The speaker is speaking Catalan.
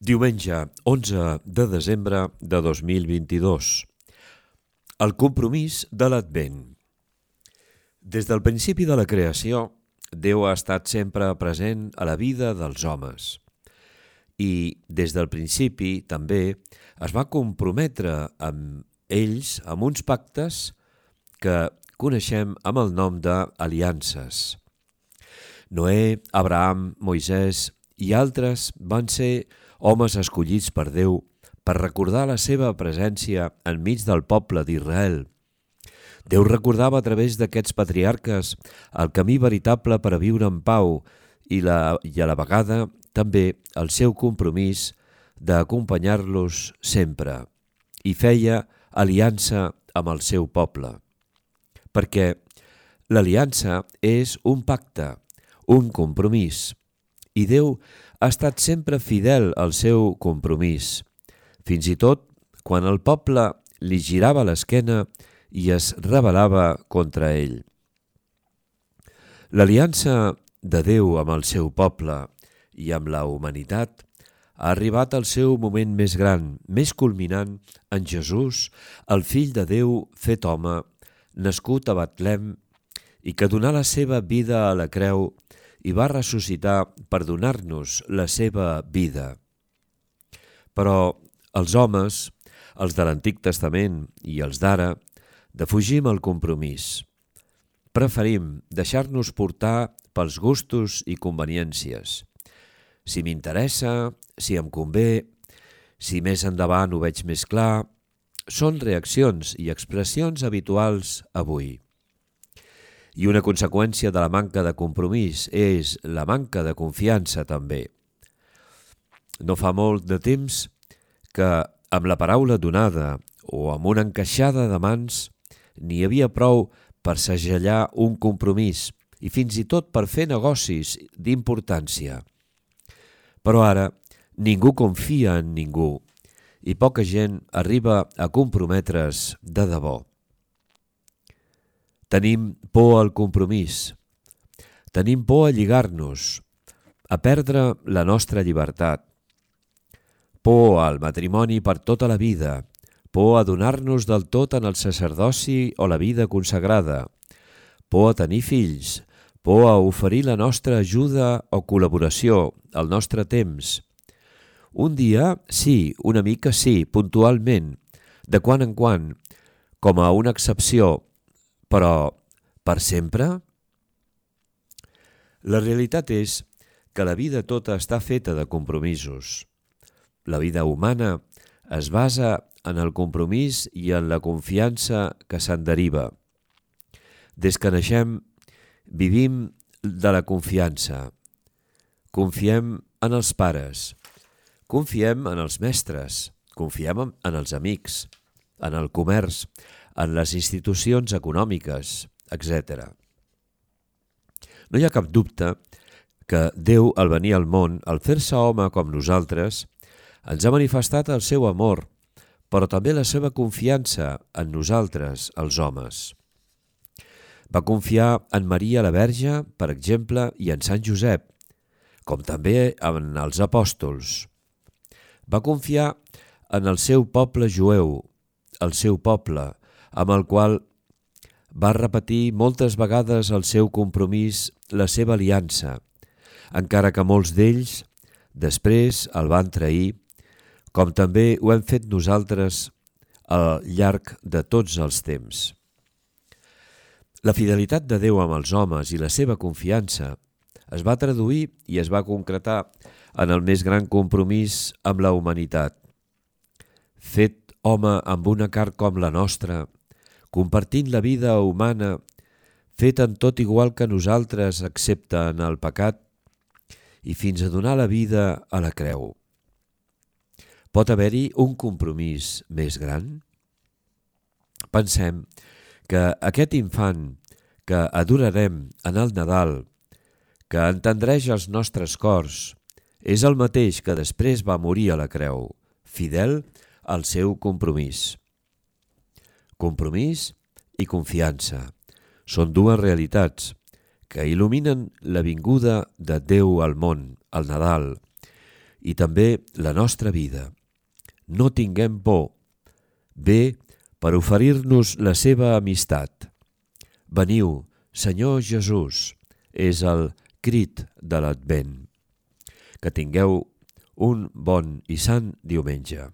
Diumenge 11 de desembre de 2022. El compromís de l'Advent. Des del principi de la creació, Déu ha estat sempre present a la vida dels homes. I des del principi també es va comprometre amb ells amb uns pactes que coneixem amb el nom d'aliances. Noè, Abraham, Moisès i altres van ser homes escollits per Déu per recordar la seva presència enmig del poble d'Israel. Déu recordava a través d'aquests patriarques el camí veritable per a viure en pau i a la vegada també el seu compromís d'acompanyar-los sempre, i feia aliança amb el seu poble. Perquè l'aliança és un pacte, un compromís, i Déu ha estat sempre fidel al seu compromís, fins i tot quan el poble li girava l'esquena i es rebel·lava contra ell. L'aliança de Déu amb el seu poble i amb la humanitat ha arribat al seu moment més gran, més culminant en Jesús, el fill de Déu fet home, nascut a Betlem i que donà la seva vida a la creu i va ressuscitar per donar-nos la seva vida. Però els homes, els de l'Antic Testament i els d'ara, defugim el compromís. Preferim deixar-nos portar pels gustos i conveniències. Si m'interessa, si em convé, si més endavant ho veig més clar, són reaccions i expressions habituals avui. I una conseqüència de la manca de compromís és la manca de confiança també. No fa molt de temps que amb la paraula donada o amb una encaixada de mans n'hi havia prou per segellar un compromís i fins i tot per fer negocis d'importància. Però ara ningú confia en ningú i poca gent arriba a comprometre's de debò. Tenim por al compromís, tenim por a lligar-nos, a perdre la nostra llibertat, por al matrimoni per tota la vida, por a donar-nos del tot en el sacerdoci o la vida consagrada, por a tenir fills, por a oferir la nostra ajuda o col·laboració, el nostre temps. Un dia sí, una mica sí, puntualment, de quan en quan, com a una excepció, però per sempre? La realitat és que la vida tota està feta de compromisos. La vida humana es basa en el compromís i en la confiança que se'n deriva. Des que naixem, vivim de la confiança. Confiem en els pares, confiem en els mestres, confiem en els amics, en el comerç, en les institucions econòmiques, etc. No hi ha cap dubte que Déu, al venir al món, al fer-se home com nosaltres, ens ha manifestat el seu amor, però també la seva confiança en nosaltres, els homes. Va confiar en Maria la Verge, per exemple, i en Sant Josep, com també en els apòstols. Va confiar en el seu poble jueu, el seu poble, amb el qual va repetir moltes vegades el seu compromís, la seva aliança, encara que molts d'ells després el van trair, com també ho hem fet nosaltres al llarg de tots els temps. La fidelitat de Déu amb els homes i la seva confiança es va traduir i es va concretar en el més gran compromís amb la humanitat. Fet home amb una carn com la nostra, compartint la vida humana, fet en tot igual que nosaltres excepte en el pecat, i fins a donar la vida a la creu. Pot haver-hi un compromís més gran? Pensem que aquest infant que adorarem en el Nadal, que entendreix els nostres cors, és el mateix que després va morir a la creu, fidel al seu compromís. Compromís i confiança són dues realitats que il·luminen la vinguda de Déu al món, al Nadal, i també la nostra vida. No tinguem por. Ve per oferir-nos la seva amistat. Veniu, Senyor Jesús, és el crit de l'Advent. Que tingueu un bon i sant diumenge.